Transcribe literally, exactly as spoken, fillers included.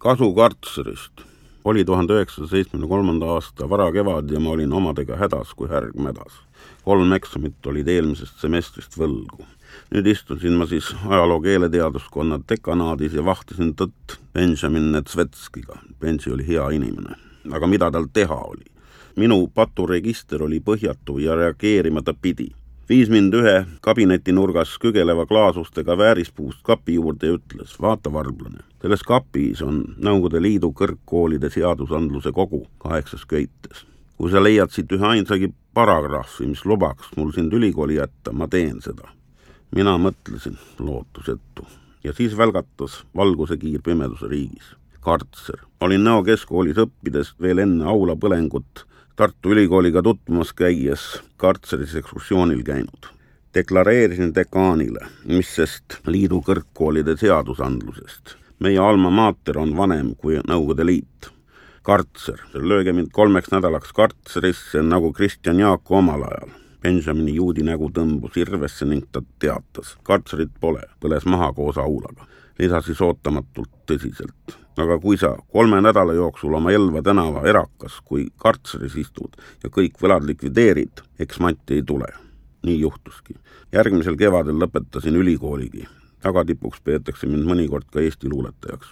Kasu kartserist. Oli tuhande üheksasaja seitsmekümne kolmanda aasta varakevad ja ma olin omadega hädas kui härg mädas. Kolm eksamit olid eelmisest semestrist võlgu. Nüüd istusin ma siis ajaloo keeleteaduskonna dekanaadis ja vahtisin tõtt Benjamin Netsvetskiga. Benji oli hea inimene. Aga mida tal teha oli? Minu paturegister oli põhjatu ja reageerimata pidi. Viis mind ühe kabinetinurgas kügeleva klaasustega väärispuust kapi juurde ja ütles, vaata varblane, selles kapis on Nõukogude Liidu kõrgkoolide seadusandluse kogu kaheksas köites. Kui sa leiad siit ühe ainsagi paragrahvi, mis lubaks mul sind ülikooli jätta, ma teen seda. Mina mõtlesin lootusetu ja siis välgatas valguse kiir pimeduse riigis. Kartser. Olin Nõo keskkoolis õppides veel enne aula põlengut Tartu ülikooliga tutvumas käies Kartseris ekskursioonil käinud. Deklareerisin dekaanile, mis sest liidu kõrgkoolide seadusandlusest. Meie alma mater on vanem kui Nõukogude Liit. Kartser. Lööge mind kolmeks nädalaks Kartserisse nagu Kristjan Jaaku omal ajal. Benjamini juudi nägu tõmbus irvesse ning ta teatas. Kartserit pole, põles maha koos aulaga. Lisasis ootamatult tõsiselt. Aga kui sa kolme nädala jooksul oma Elva tänava erakas, kui Kartseris istud ja kõik võlad likvideerid, eks Matti ei tule. Nii juhtuski. Järgmisel kevadel lõpetasin ülikooligi. Tagatipuks peetakse mind mõnikord ka Eesti luuletajaks.